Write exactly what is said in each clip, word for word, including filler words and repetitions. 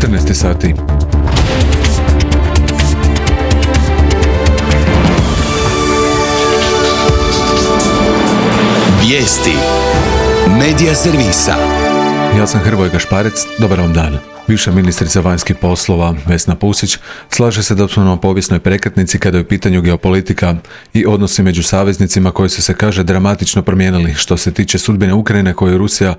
četrnaest sati. Vijesti Medija servisa. Ja sam Hrvoje Gašparec, dobar vam dan. Bivša ministrica vanjskih poslova Vesna Pusić slaže se da smo na povijesnoj prekretnici kada je u pitanju geopolitika i odnosi među saveznicima koji su se, kaže, dramatično promijenili. Što se tiče sudbine Ukrajine koju Rusija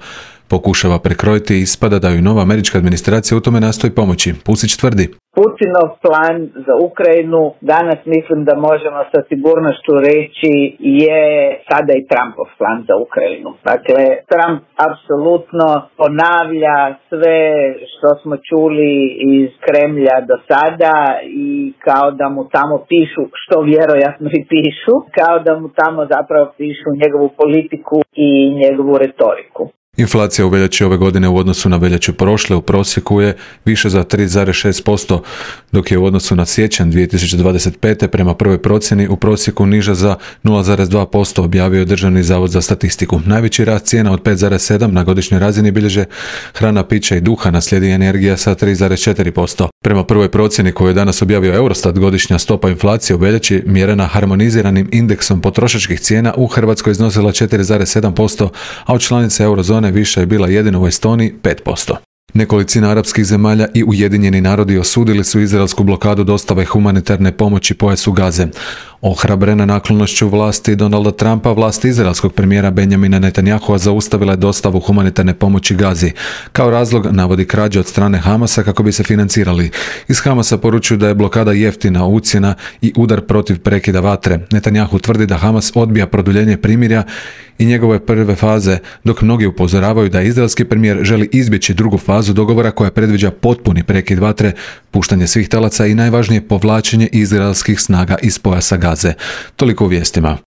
pokušava prekrojiti, ispada da ju nova američka administracija u tome nastoji pomoći. Pusić tvrdi: Putinov plan za Ukrajinu danas mislim da možemo sa sigurnošću reći je sada i Trumpov plan za Ukrajinu. Dakle, Trump apsolutno ponavlja sve što smo čuli iz Kremlja do sada i kao da mu tamo pišu, što vjerojatno i pišu, kao da mu tamo zapravo pišu njegovu politiku i njegovu retoriku. Inflacija u veljači ove godine u odnosu na veljaču prošle u prosjeku je više za tri zarez šest posto, dok je u odnosu na siječanj dvije tisuće dvadeset pete prema prvoj procjeni u prosjeku niža za nula zarez dva posto, objavio je Državni zavod za statistiku. Najveći rast cijena od pet zarez sedam na godišnjoj razini bilježe hrana, pića i duhan, slijedi energija sa tri zarez četiri posto. Prema prvoj procjeni koju je danas objavio Eurostat, godišnja stopa inflacije u veljači mjerena harmoniziranim indeksom potrošačkih cijena u Hrvatskoj iznosila četiri zarez sedam posto, a od članice eurozone više je bila jedino u Estoniji pet posto. Nekolicina arapskih zemalja i Ujedinjeni narodi osudili su izraelsku blokadu dostave humanitarne pomoći pojasu Gaze. Ohrabrena naklonošću vlasti Donalda Trumpa, vlast izraelskog premijera Benjamina Netanyahua zaustavila je dostavu humanitarne pomoći Gazi. Kao razlog navodi krađe od strane Hamasa kako bi se financirali. Iz Hamasa poručuju da je blokada jeftina ucjena i udar protiv prekida vatre. Netanyahu tvrdi da Hamas odbija produljenje primirja i njegove prve faze, dok mnogi upozoravaju da izraelski premijer želi izbjeći drugu fazu dogovora koja predviđa potpuni prekid vatre, puštanje svih talaca i najvažnije povlačenje izraelskih snaga iz pojasa Gaze. Toliko u vijestima.